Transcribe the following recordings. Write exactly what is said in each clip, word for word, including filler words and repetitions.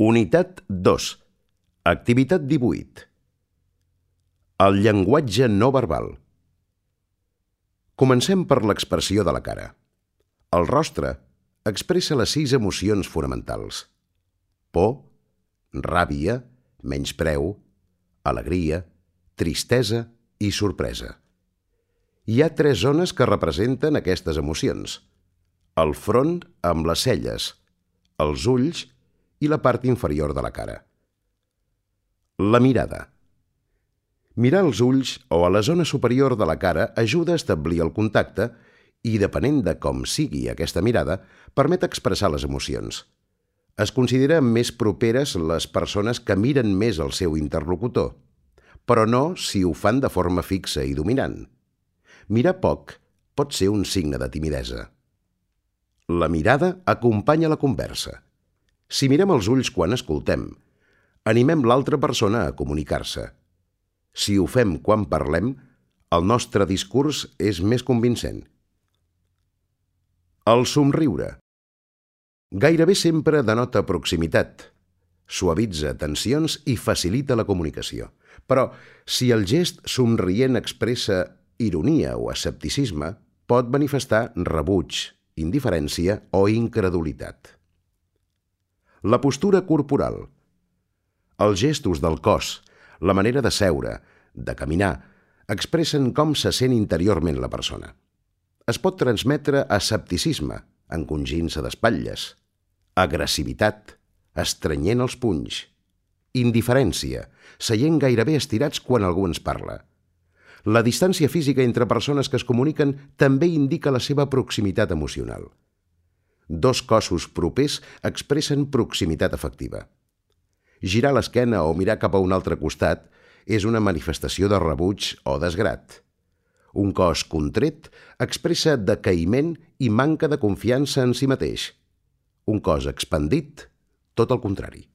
Unitat dos. Activitat divuit. El llenguatge no verbal. Comencem per l'expressió de la cara. El rostre expressa les sis emocions fonamentals: por, ràbia, menyspreu, alegria, tristesa i sorpresa. Hi ha tres zones que representen aquestes emocions: el front amb les celles, els ulls i la part inferior de la cara. La mirada. Mirar als ulls o a la zona superior de la cara ajuda a establir el contacte i, depenent de com sigui aquesta mirada, permet expressar les emocions. Es considera més properes les persones que miren més al seu interlocutor, però no si ho fan de forma fixa i dominant. Mirar poc pot ser un signe de timidesa. La mirada acompanya la conversa. Si mirem els ulls quan escoltem, animem l'altra persona a comunicar-se. Si ho fem quan parlem, el nostre discurs és més convincent. El somriure. Gairebé sempre denota proximitat, suavitza tensions i facilita la comunicació. Però si el gest somrient expressa ironia o escepticisme, pot manifestar rebuig, indiferència o incredulitat. La postura corporal. Els gestos del cos, la manera de seure, de caminar, expressen com se sent interiorment la persona. Es pot transmetre escepticisme, encongint-se d'espatlles, agressivitat, estrenyent els punys, indiferència, seient gairebé estirats quan algú ens parla. La distància física entre persones que es comuniquen també indica la seva proximitat emocional. Dos cossos propers expressen proximitat afectiva. Girar l'esquena o mirar cap a un altre costat és una manifestació de rebuig o desgrat. Un cos contret expressa decaïment i manca de confiança en si mateix. Un cos expandit, tot el contrari.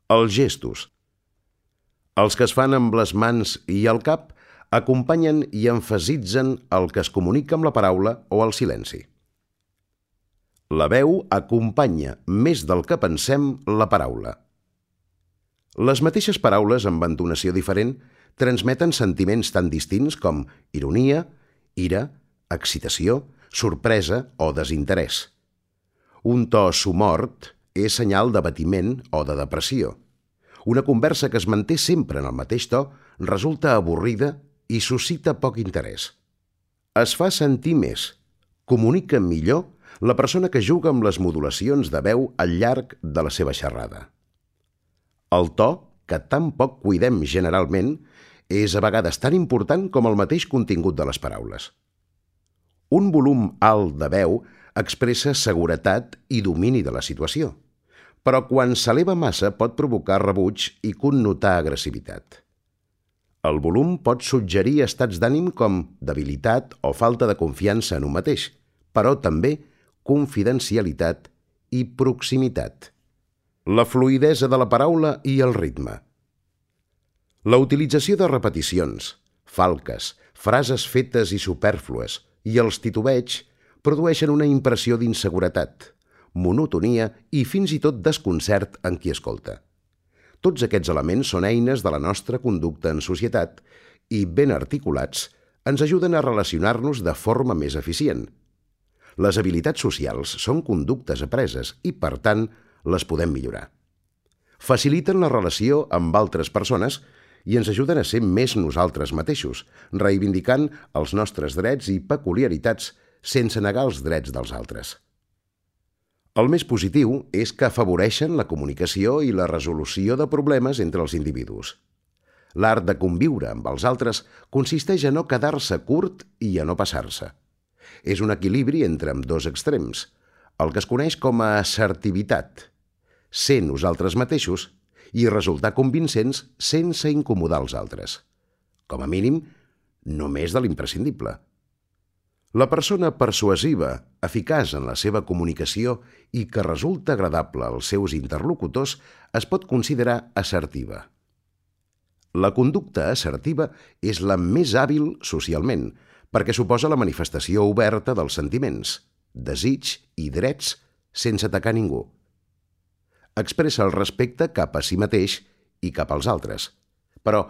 Els gestos. Els que es fan amb les mans i el cap acompanyen i emfasitzen el que es comunica amb la paraula o el silenci. La veu acompanya més del que pensem la paraula. Les mateixes paraules amb entonació diferent transmeten sentiments tan distints com ironia, ira, excitació, sorpresa o desinterès. Un to somort és senyal d'abatiment o de depressió. Una conversa que es manté sempre en el mateix to resulta avorrida i suscita poc interès. Es fa sentir més, comunica millor la persona que juga amb les modulacions de veu al llarg de la seva xerrada. El to, que tan poc cuidem generalment, és a vegades tan important com el mateix contingut de les paraules. Un volum alt de veu expressa seguretat i domini de la situació, però quan s'eleva massa pot provocar rebuig i connotar agressivitat. El volum pot suggerir estats d'ànim com debilitat o falta de confiança en un mateix, però també confidencialitat i proximitat. La fluïdesa de la paraula i el ritme. La utilització de repeticions, falques, frases fetes i supèrflues i els titubeigs produeixen una impressió d'inseguretat, monotonia i fins i tot desconcert en qui escolta. Tots aquests elements són eines de la nostra conducta en societat i, ben articulats, ens ajuden a relacionar-nos de forma més eficient. Les habilitats socials són conductes apreses i, per tant, les podem millorar. Faciliten la relació amb altres persones i ens ajuden a ser més nosaltres mateixos, reivindicant els nostres drets i peculiaritats sense negar els drets dels altres. El més positiu és que afavoreixen la comunicació i la resolució de problemes entre els individus. L'art de conviure amb els altres consisteix a no quedar-se curt i a no passar-se. És un equilibri entre ambdós extrems, el que es coneix com a assertivitat, ser nosaltres mateixos i resultar convincents sense incomodar els altres. Com a mínim, només de l'imprescindible. La persona persuasiva, eficaç en la seva comunicació i que resulta agradable als seus interlocutors es pot considerar assertiva. La conducta assertiva és la més hàbil socialment, perquè suposa la manifestació oberta dels sentiments, desig i drets sense atacar ningú. expressa el respecte cap a si mateix i cap als altres. Però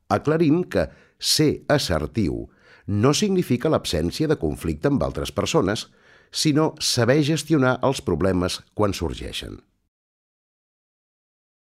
aclarim que ser assertiu no significa l'absència de conflicte amb altres persones, sinó saber gestionar els problemes quan sorgeixen.